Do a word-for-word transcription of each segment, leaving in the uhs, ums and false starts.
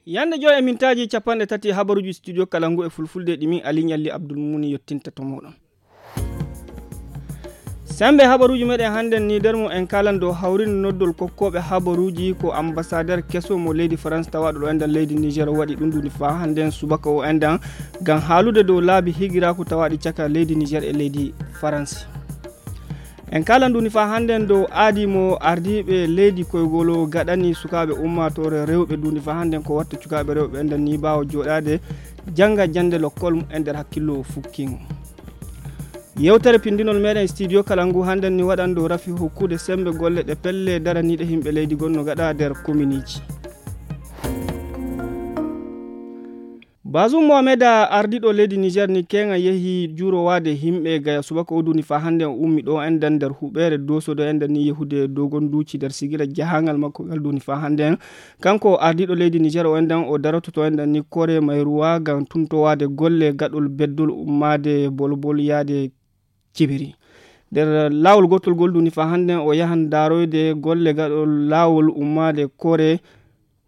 Yande joy e mintaaji capanɗe tati habaruuji studio kala ngu e fulfulde ɗi min Ali Ɲalli Abdul Muni yottinta to mooɗon. Sembe habaruuji meɗen hannden ni nder mum en kalan dow hawrinde noddol kokkooɓe habaruuji ko ambassadeur keso mo leydi France tawaaɗo ɗo enɗan leydi Niger waɗi ɗum duni faa hannden subaka o enɗan ngam haalude dow laabi higiraaku tawaaɗi caka leydi Niger e leydi France. En kalan duni faa hannden dow aadi mo ardiiɓe leydi koygolo gaɗani sukaaɓe ummaatoore rewɓe duni faa hannden ko watta cukaaɓe rewɓe enɗan ni ɓaawo jooɗaade jannga jannde lokkol mum en nder hakkillo fukkingo. Yewtere pindinol meɗen studio kala ngu hannden ni waɗan dow rafi hokkude sembe golle ɗe pelle daraniiɗe himɓe leydi gonno gaɗa nder kominiiji. Bazum Mohamed, ardiiɗo leydi Niger ni keŋa yehi juurowaade himɓe gaya subaka o duni faa hannden o ummi ɗo enɗan nder huɓeere dosodo enɗan ni yehude dogon duuci nder sigila jahangal makko ngal duni faa hannden. Kanko ardiiɗo leydi Niger o enɗan o darototo enɗan ni kore mayruwa ngam tuntowaade golle gaɗol beddol ummaade bolbol yaade cibiri. Nder laawol gootol gol duni faa hannden o yahan daaroyde golle gaɗol laawol ummaade kore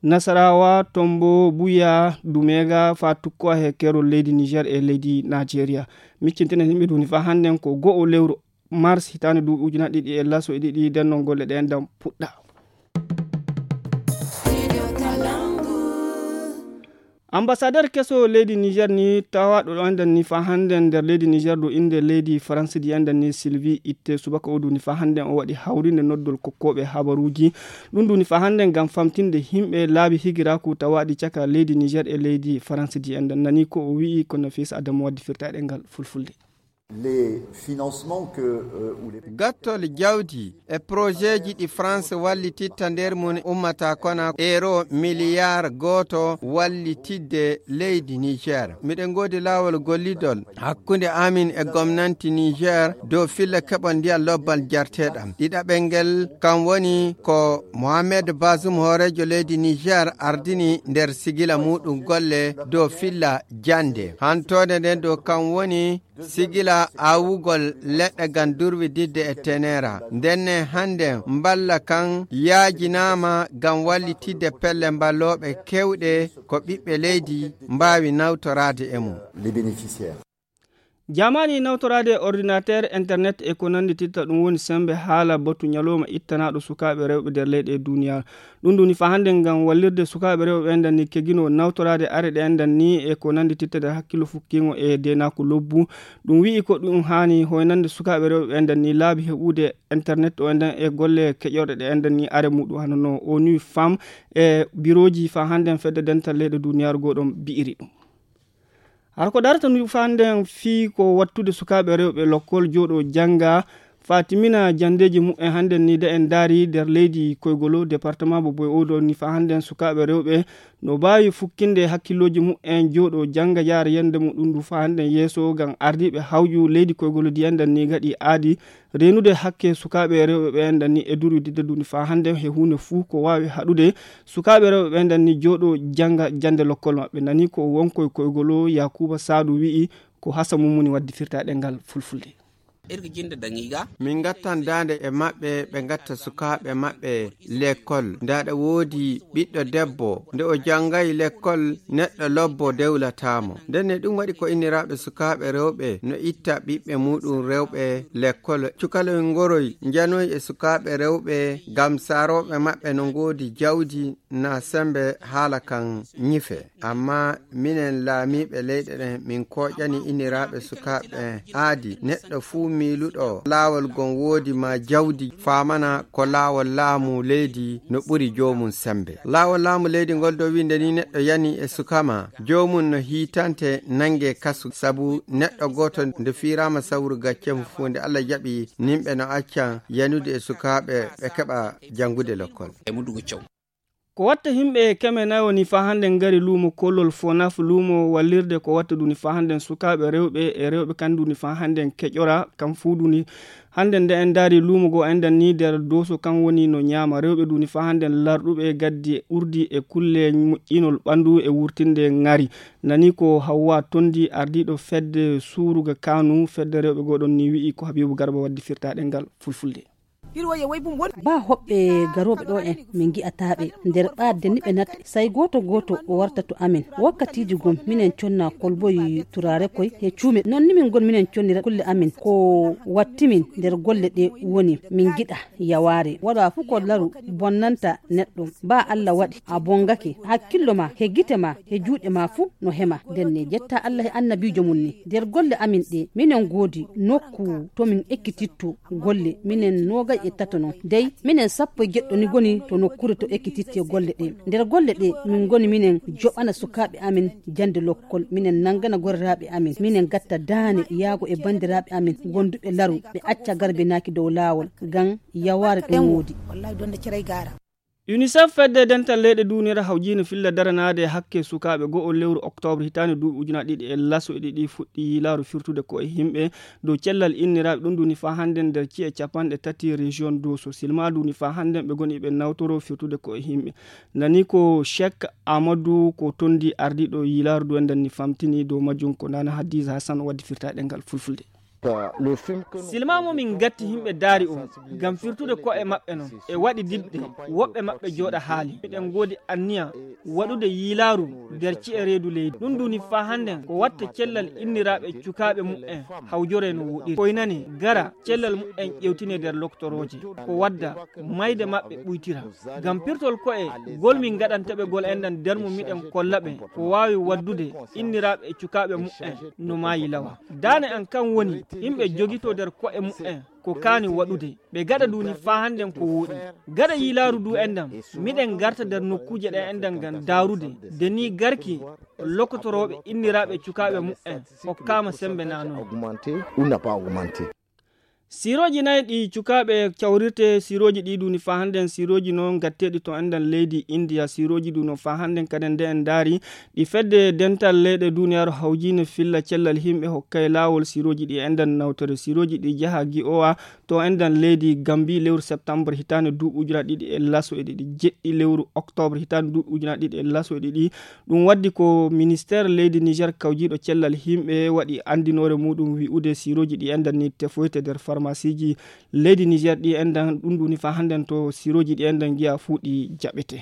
Nasarawa, Tombo, Buya, Dumega, faa tukkowa he keerol leydi Niger e leydi Nigeria. Miccintinen yimɓe duni faa hannden ko go'o lewru mars hitaande duuɓi ujunaaji ɗiɗi e laso e ɗiɗi nden non golle ɗen ɗam puɗɗa. Ambassadeur keso leydi Niger ni tawaaɗo ɗo enɗan ni faa hannden nder leydi Niger ɗo innde leydi France di enɗan ni Sylvie Itte subaka o duni faa hannden o waɗi hawrinde noddol kokkooɓe habaruuji. Ɗum duni faa hannden ngam famtinde yimɓe laabi higiraaku tawaaɗi caka leydi Niger e leydi France di enɗan nani ko o wi'i ko Nafisa Adamu waddi firtaɗe ngal fulfulde. Les financements que, euh, ou les Gattol jawdi e projetji ɗi France wallititta nder mum ummata kona euro miliyar gooto wallitidde leydi Niger. Miɗen ngoodi laawol gollidol hakkunde amin e gomnanti Niger dow filla keɓol ndiyam lobbal jarteɗam. Ɗiɗaɓel ngel kam woni ko Mohamed Bazoum hooreejo leydi Niger ardini nder sigila muɗum golle dow filla jande. Hantoode nden dow kam woni sigila awugol leɗɗe ngam durwididde e tenera. Ndenne hannde mballa kan yaajinaama ngam wallitidde pelle mballooɓe kewɗe ko ɓiɓɓe leydi mbaawi nawtoraade e mum. Les bénéficiaires. Jamaani nawtoraade ordinateur, internet e ko nanndititta ɗum woni semmbe haala batu ñalawma ittanaaɗo sukaaɓe rewɓe nder leyɗe e duniyaaru. Ɗum ɗum ni faa hannde ngam wallirde sukaaɓe rewɓe ɓen ɗan ni kegino nawtoraade are ɗe enɗan ni e ko nanndititta nder hakkillo fukkiingo e deenaaku lobbu. Ɗum wi'i ko ɗum haani hoynande sukaaɓe rewɓe ɓen ɗan ni laabi heɓude internet o enɗan e golle keƴorɗe ɗe enɗan ni are muɗum hano no ONU Femmes e birooji faa hannde fedde dental leyɗe duniyaaru goo ɗon bi'iri ɗum. Hara ko darata ndu faa hannde fii ko wattude sukaaɓe rewɓe lokkol jooɗo jannga faa timmina janndeeji muɓɓen hannde ni de en ndaari nder leydi koygolo département bo boy oɗo ni faa hannde sukaaɓe rewɓe no mbaawi fukkinde hakkillooji muɓɓen jooɗo jannga yaara yannde muɗum ndu faa hannde yeeso ngam ardiiɓe hawju leydi koygolo di enɗan ni ngaɗi aadi reenude hakke sukaaɓe rewɓe ɓe enɗan ni e durwididde ndu ni faa hannde he huunde fuu ko waawi haɗude sukaaɓe rewɓe ɓe enɗan ni jooɗo jannga jannde lokkol maɓɓe. Nani ko wonkoy koygolo Yakuba Saadu wi'i ko hasa mum woni waddi firtaaɗe ngal fulfulde. Irga jinde daŋiiga. Min ngattan daande e maɓɓe, ɓe ngatta sukaaɓe maɓɓe lekkol. Nda ɗa woodi ɓiɗɗo debbo, nde o janngayi lekkol, neɗɗo lobbo dewlataa mo. Ndenne ɗum waɗi ko inniraaɓe sukaaɓe rewɓe no itta ɓiɓɓe muɗum rewɓe lekkol. Cukaloy ngoroy njanoy e sukaaɓe rewɓe ngam saarooɓe maɓɓe no ngoodi jawdi na sembe haala kan ñife. Amma minen laamiiɓe leyɗe ɗen, min kooƴani inniraaɓe sukaaɓe aadi. Neɗɗo fuu miiluɗo laawol gon woodi ma jawdi, faamana ko laawol laamu leydi no ɓuri joomum sembe. Laawol laamu leydi ngol dow wiinde ni neɗɗo yani e suka ma, joomum no hiitante nange kasu. Sabu neɗɗo gooto nde fiiraama sawru gacce mum fuu, nde Allah jaɓi, nimɓe no accan yanude e sukaaɓe ɓe keɓa janngude lekkol. E mudugo caw. Ko watta yimɓe keme nayo ni faa hannde ngari luumo kollol Fonaf, luumo wallirde ko watta duni faa hannde sukaaɓe rewɓe e rewɓe kan duni faa hannde keƴora kan fuu duni hannde nde en ndaari luumo goo enɗan ni nder dooso kan woni no ñaama rewɓe duni faa hannde larɗuɓe gaddi urdi e kulle moƴƴinol ɓanndu e wurtinde ngari. Nani ko Hawwa Tondi ardiiɗo fedde suuruga Kanu fedde rewɓe goo ɗon ni wi'i ko Habibu Garba waddi firtaaɗe ngal fulfulde. Ba hoɓɓe garooɓe ɗo en, min ngi'ataa ɓe. Nder ɓaadde ni ɓe natta, say gooto gooto o warta to amin. Wakkatiiji gom minen conna kolboy turaare koy he cuume. Non ni min ngon minen connira kulle amin. Ko wattimin nder golle ɗe woni min ngiɗa yawaare. Waɗa fuu ko laru bonnanta neɗɗo. Ba Allah waɗi a bongake, hakkillo ma, he gite ma, he juuɗe ma fuu no hema. Nden ne jetta Allah he annabiijo mum ni. Nder golle amin ɗe, minen ngoodi nokku to min ekkititto golle, minen noogay e tato non. Dey, minen sappo e jeɗɗo ni ngoni to nokkuure to ekkititte golle ɗe. Nder golle ɗe, min ngoni minen joɓana sukaaɓe amin jannde lokkol, minen nanngana gorraaɓe amin, minen ngatta daane yaago e banndiraaɓe amin gonduɓe laru, ɓe acca garbinaaki dow laawol, ngam yawaare ɗum woodi. Unicef, fedde dental leyɗe duniyaaru hawjiino filla daranaade hakke sukaaɓe go'o lewru oktoobre hitaande duuɓi ujunaaji ɗiɗi e laso e ɗiɗi, fuɗɗi yiilaaru firtude ko e yimɓe dow cellal inniraaɓe. Ɗum duni faa hannden nder ci'e capanɗe tati région Doso. Silma duni faa hannden ɓe ngoni ɓe nawtoro firtude ko e yimɓe. Nani ko Cheikh Amadou ko tondi ardiiɗo yiilaaru du en danni famtini dow majjum ko Nana Hadiza Hassan waddi firtaade ngal fulfulde. Silma mo min ngatti yimɓe daari o ngam firtude ko'e maɓɓe non e waɗi didde woɓɓe maɓɓe jooɗa haali. Miɗen ngoodi anniya waɗude yiilaaru nder ci'e reedu leydi. Ɗum duni faa hannden ko watta cellal inniraaɓe cukaaɓe mu'en hawjoree no woɗiri. Koynane gara cellal mu'en ƴewtine nder loktorooje. Ko wadda mayde maɓɓe ɓuytira. Ngam pirtol ko'e gol min ngaɗanta ɓe gol enɗan nder mum miɗen kolla ɓe ko waawi waddude inniraaɓe e cukaaɓe mu'en no maayi lawa. Daane an kan woni yimɓe jogito nder ko'e mu'en ko kaani waɗude. Ɓe gaɗa duni faa hannden ko wooɗi. Gaɗa yiilaaru du enɗan miɗen ngarta nder nokkuuje ɗe enɗan ngam daarude. De ni garki lokotorooɓe inniraaɓe cukaaɓe mu'en hokkaama sembe naanoy. Sirooji nayi ɗi cukaaɓe cawrirte, sirooji ɗi duni faa hannden sirooji noon gatteeɗi to enɗan leydi Indiya. Sirooji du no faa hannden kaden nde en ndaari ɗi fedde dental leyɗe duniyaaru hawjiine filla cellal yimɓe hokkay laawol sirooji ɗi enɗan nawtere. Sirooji ɗi jaha gi'owa to enɗan leydi Gambi lewru septembre hitaande duuɓi ujunaaji ɗiɗi e laso e ɗiɗi, jeɗɗi lewru oktoobre hitaande duuɓi ujunaaji ɗiɗi e laso e ɗiɗi. Ɗum waddi ko ministeer leydi Niger kawjiiɗo cellal yimɓe waɗi anndinoore muɗum wi'ude sirooji ɗi enɗan ni tefoyte nder farmasiiji leydi Niger ɗi enɗan. Ɗum duni faa hannden to sirooji ɗi enɗan ngi'a fuu ɗi jaɓete.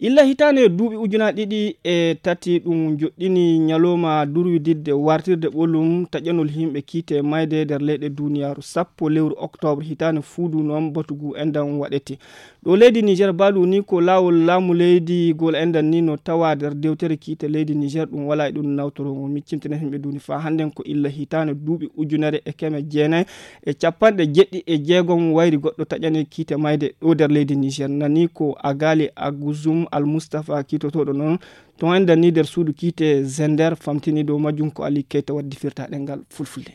Illa hitaande duuɓi ujunaaji ɗiɗi e tati ɗum joɗɗini ñalooma durwididde wartirde ɓolum taƴanol yimɓe kiite mayde nder leyɗe duniyaaru. Sappo lewru oktoobre hitaande fuu du noon batugu enɗan waɗete. Ɗo leydi Niger baalu ni ko laawol laamu leydi gol enɗan ni no tawa nder dewtere kiite leydi Niger ɗum wala e ɗum nawtoro mo miccintene yimɓe duni faa hannden ko illa hitaande duuɓi ujunere e keme jeenayi e capanɗe jeɗɗi e jeegom wayri goɗɗo taƴani kiite mayde ɗo nder leydi Niger. Nani ko Agali Aguzum Al Mustafa kiitotooɗo noon to enɗan ni nder suudu kiite Zender famtini dow majjum ko Ali Keita waddi firtaɗe ngal fulfulde.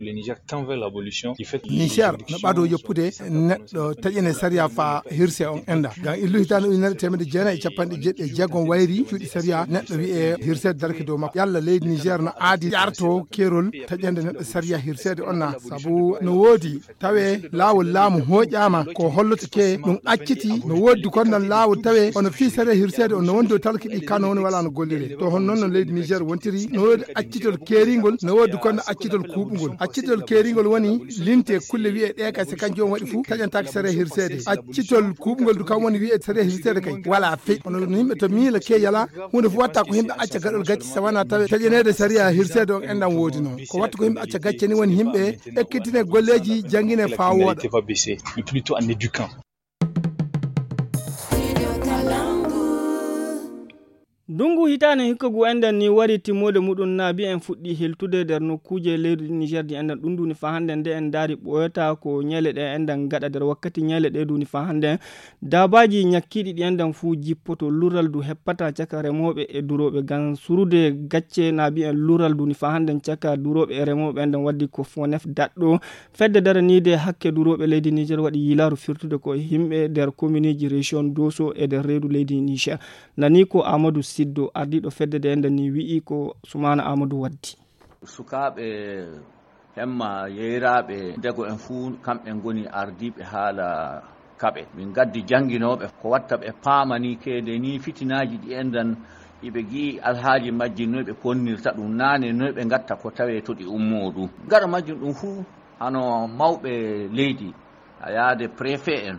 Niger no ɓado yoppude neɗɗo taƴene sariya faa hirse on enda. Ngam illu hitaande ujunere teemedde jeenayi e capanɗe jeɗɗi e jeegom wayri cuuɗi sariya neɗɗo wi'e hirse darke dow makko. Yalla leydi Niger no aadi ƴarto keerol taƴande neɗɗo sariya hirseede on na? Sabu no woodi tawe laawol laamu hooƴaama ko holloto ke ɗum acciti no woodi kon nan laawol tawe ono fii sariya hirseede on no wondi dow talki ɗi kano woni wala no gollire. To hon noon no leydi Niger wontiri no woodi accitol keeringol no woodi kon accitol kuuɓungol. Accitol keeringol woni linte kulle wi'e ɗe kay se kan joom waɗi fuu taƴantaake sariya hirseede. Accitol kuuɓungol du kam woni wi'e sariya hirseede kay wala fey. Ono no yimɓe to miila ke yala huunde fuu watta ko yimɓe acca gaɗol gacce so wona tawe taƴaneede sariya hirseede on enɗan woodi noon. Ko watta ko yimɓe acca gacce ni woni yimɓe ekkitine golleeji janngine faa wooɗa. Ndungu hitaande hikka ngu enɗan ni wari timmoode muɗum naabi en fuɗɗi heltude nder nokkuuje leydi Niger ɗi enɗan ɗum duni faa hannden nde en ndaari ɓooyata ko ñeele ɗe enɗan gaɗa nder wakkati ñeele ɗe duni faa hannden daabaaji ñakkiiɗi ɗi enɗan fuu jippoto lural du heppata caka remooɓe e durooɓe ngam surude gacce naabi en lural duni faa hannden caka durooɓe e remooɓe enɗan waddi ko Fonef daɗɗo fedde daraniide hakke durooɓe leydi Niger waɗi yiilaaru firtude ko e yimɓe nder kominiiji région Doso e nder reedu leydi Niger. Nani ko Amadou Siddo, ardiiɗo fedde nde, nde ni wi'i ko Sumaana Amadou waddi. Sukaaɓe hemma yeyraaɓe dego en fuu, kamɓe ngoni ardiiɓe haala kaɓe. Min ngaddi jannginooɓe ko watta ɓe paamani keede ni fitinaaji ɗi enɗan iɓe gi'i alhaaji majji noy ɓe ponnirta ɗum naane, noy ɓe ngatta ko tawee to ɗi ummoo ɗum. Gaɗa majjum ɗum fuu Hano mawɓe leydi, a yaade préfet en,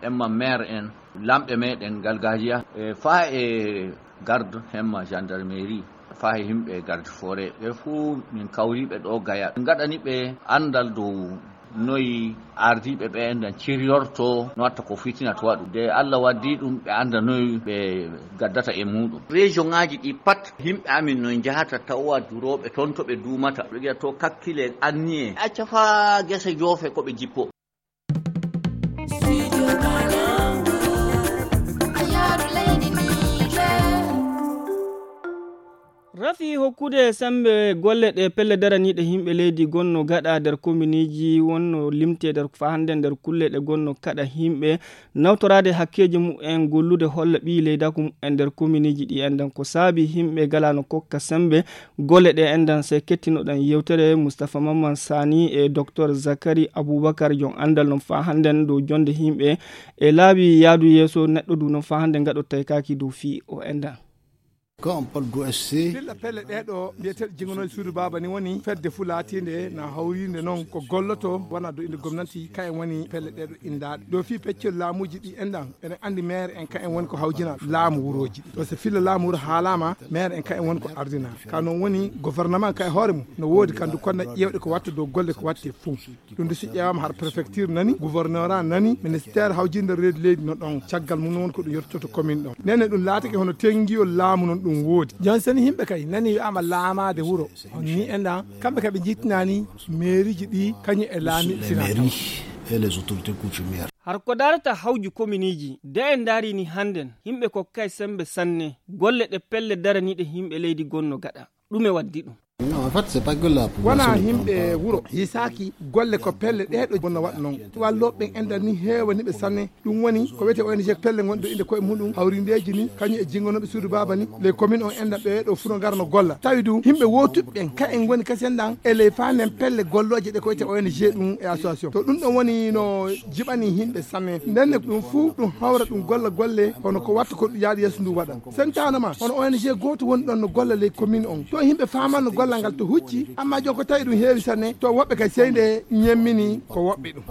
emma maire en, lamɓe meɗen galgajiya, e faa e garde hemma gendarmerie, faa e yimɓe garde forêt, ɓe fuu min kawriɓe ɗo Gaya. Min gaɗani ɓe anndal dow noyi ardiiɓe ɓe enɗan ciryorto, no watta ko fitina to waɗu. De Allah waddi ɗum, ɓe annda noyi ɓe gaddata e muɗum. Région ŋaaji ɗi pat, yimɓe amin no njahata tawa durooɓe toon to ɓe duumata. Ɓe wiya to kakkile anniye. Acca faa gese joofe ko ɓe jippo. Rafi hokkude sembe golle ɗe pelle daraniiɗe yimɓe leydi gonno gaɗa nder kominiiji wonno limte nder faa hannde nder kulle ɗe gonno kaɗa yimɓe nawtoraade hakkeeji mumen gollude holla ɓiyi leydaaku mumen nder kominiiji ɗi enɗan ko saabi yimɓe galaano kokka sembe golle ɗe enɗan. Se kettinoɗen yewtere Moustapha Mamman Sani e Docteur Zakari Aboubacar jon anndal non faa hannde dow jonde yimɓe e laabi yaadu yeeso neɗɗo du non faa hannde ngaɗo taykaaki dow fii o enɗan. Quand on parle d'O S C, filla pelle ɗee ɗo mbiyeteeɗo jinganooji suudu baaba ni woni fedde fuu laatiinde na hawriinde noon ko golloto wona dow innde gomnati, kayen woni pelle ɗee ɗo inndaaɗe. Dow fii peccol laamuuji ɗi enɗan, eɗen anndi maire en kayen woni ko hawjinaa laamu wurooji ɗi. Parce que filla laamu wuro haalaama, maire en kayen woni ko ardinaa. Ka noon woni gouvernement ka e hoore mum no woodi kandu konna ƴeewɗe ko watta dow golle ko watte fuu. Ɗum de si ƴeewaama har préfecture nani, gouvernorat nani, ministère hawjinde reedu leydi no ɗon, caggal mum woni ko ɗum yottoto commune ɗon. Nene ɗum laatake hono tenngiyol laamu non ɗum woodi. Jon seni yimɓe kay nani wi'aama laamaade wuro, on ni enɗan, kamɓe kay ɓe njittinaani mairieji ɗi kañum e laamiiɓe Les finaa tawa. Mairies et les autorités coutumières. Har ko darata hawju kominiiji, de en ndaari ni hannden, yimɓe ko kay sembe sanne, golle ɗe pelle daraniiɗe yimɓe leydi gonno gaɗa. Ɗume waddi ɗum? Non, en fait, c'est pas que la population wona de yimɓe Pampa. Wuro hisaaki golle ko pelle ɗee ɗo bonno waɗa noon. Wallooɓe ɓen enɗan ni heewani ɓe sanne. Ɗum woni ko wiyetee O N G pelle ngonɗo innde koye muɗum, hawrindeeji ni, kañum e jingonooɓe suudu baaba ni, les communes on enɗan ɓe ɗo fuu no ngara no golla. Tawi du yimɓe wootuɓe ɓen, ka en ngoni kasen ɗan, e ley faa nden pelle gollooje ɗe ko wiyetee O N G ɗum e association. To ɗum ɗon woni no jiɓani yimɓe sanne. Nden ne ɗum fuu ɗum hawra ɗum golla golle, hono ko watta ko ɗum yaaɗi yeeso ndu waɗa. Sentaanama, hono O N G gooto woni ɗon no golla ley commune on. To yimɓe faamanno gollal ngal to hucci, amma jon ko tawi ɗum heewi sanne, to woɓɓe kay sey nde ñemmini ko woɓɓe ɗum.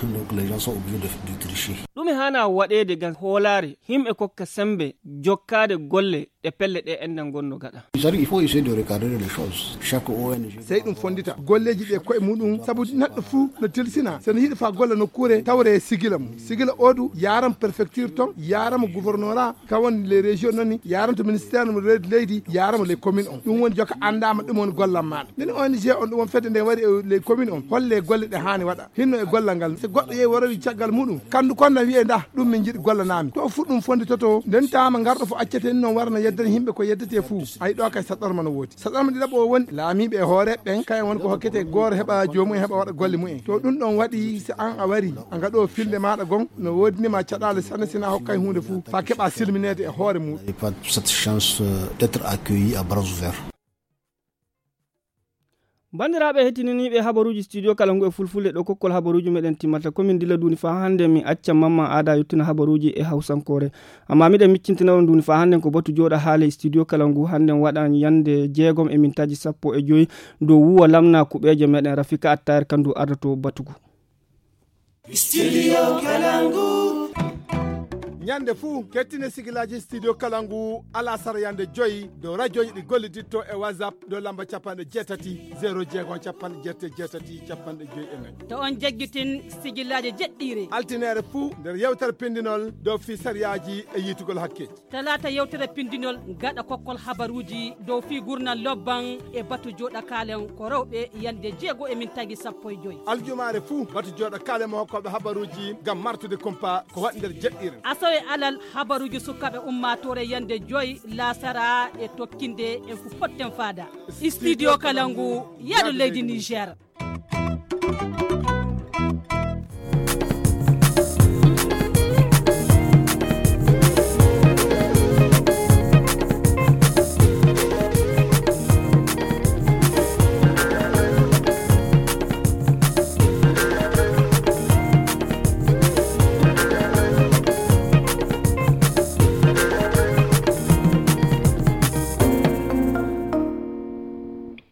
Donc les gens sont obligés de, de tricher. Ɗume haana waɗeede ngam hoolaare yimɓe kokka sembe jokkaade golle ɗe pelle ɗe enɗan ngonno gaɗa? Il faut essayer de recadrer les choses. Chaque O N G. Sey ɗum fonndita golleeji ɗi e koye muɗum, sabu neɗɗo fuu no tilsina, so no yiɗi faa golla nokkuure, tawre sigila mum. Sigila oo du yaaram préfecture ton, yaaramo gouvernorat, ka woni les régions noon ni, yaaramo to ministère mo reedu leydi, yaaramo les communes on. Ɗum woni joka anndaama ɗum woni gollal maaɗa. Nden O N G on ɗum woni fedde nde wari e les communes on, holle golle ɗe haani waɗa. Hinno e gollal ngal, so goɗɗo yehi warowi caggal muɗum, kandu konna wiye ndah, ɗum min njiɗi gollanaami. To fuu ɗum fonnditoto, nden taama ngarɗo fof accete ni noon wara no yeddana yimɓe ko yeddetee fuu. Ay ɗo kay saɗɗorma no woodi. Saɗɗorma ɗiɗaɓo o woni laamiiɓe e hoore ɓen, kayen woni ko hokkete gooro heɓa joomum en heɓa waɗa golle mumen. To ɗum ɗon waɗi, so an a wari, a ngaɗo filde maaɗa gon, no woodinima caɗaale sanne sina hokkay huunde fuu, faa keɓa silmineede e hoore muɗum. Et pas cette chance, euh, d'être accueilli à bras ouverts. Banndiraaɓe heɗtinaniiɓe habaruuji studio kala ngu e fulfulde ɗo kokkol habaruuji meɗen timmata. Ko min dilla duuni faa hannde mi acca Mamma Aada yottina habaruuji e hawsankoore. Amma miɗen miccintina on duuni faa hannde ko batu jooɗa haale studio kala ngu hannde waɗan yande jeegom e mintaaji sappo e joyi dow wuwa lamna kuɓeeje meɗen Rafika Attayar kandu ardoto batugu. Studio Kalangu. Ñande fuu, kettine sigilaaji Studio Kalangu alasara yande joyi dow rajooji ɗi golliditto e WhatsApp dow lamba capanɗe jeetati, zéro jeegom, capanɗe jeetati, jeetati, capanɗe joyi e nayi. To on jaggitin sigilaaji jeɗɗiire. Altineere fuu nder yewtere pindinol dow fii sariyaaji e yiitugol hakkeeji. Talaata yewtere pindinol gaɗa kokkol habaruuji dow fii gurnal lobban e batu jooɗa kaalen ko rewɓe yande jeego e mintaaji sappo e joyi. Aljumaare fuu batu jooɗa kaalen mo hokkooɓe habaruuji ngam martude kumpa ko waɗi nder jeɗɗiire. Asawe alal habaruuji sukaaɓe ummaatoore yande joyi laasara e tokkinde en ko potten faada. Studio Kalangu, yaadu leydi Niger.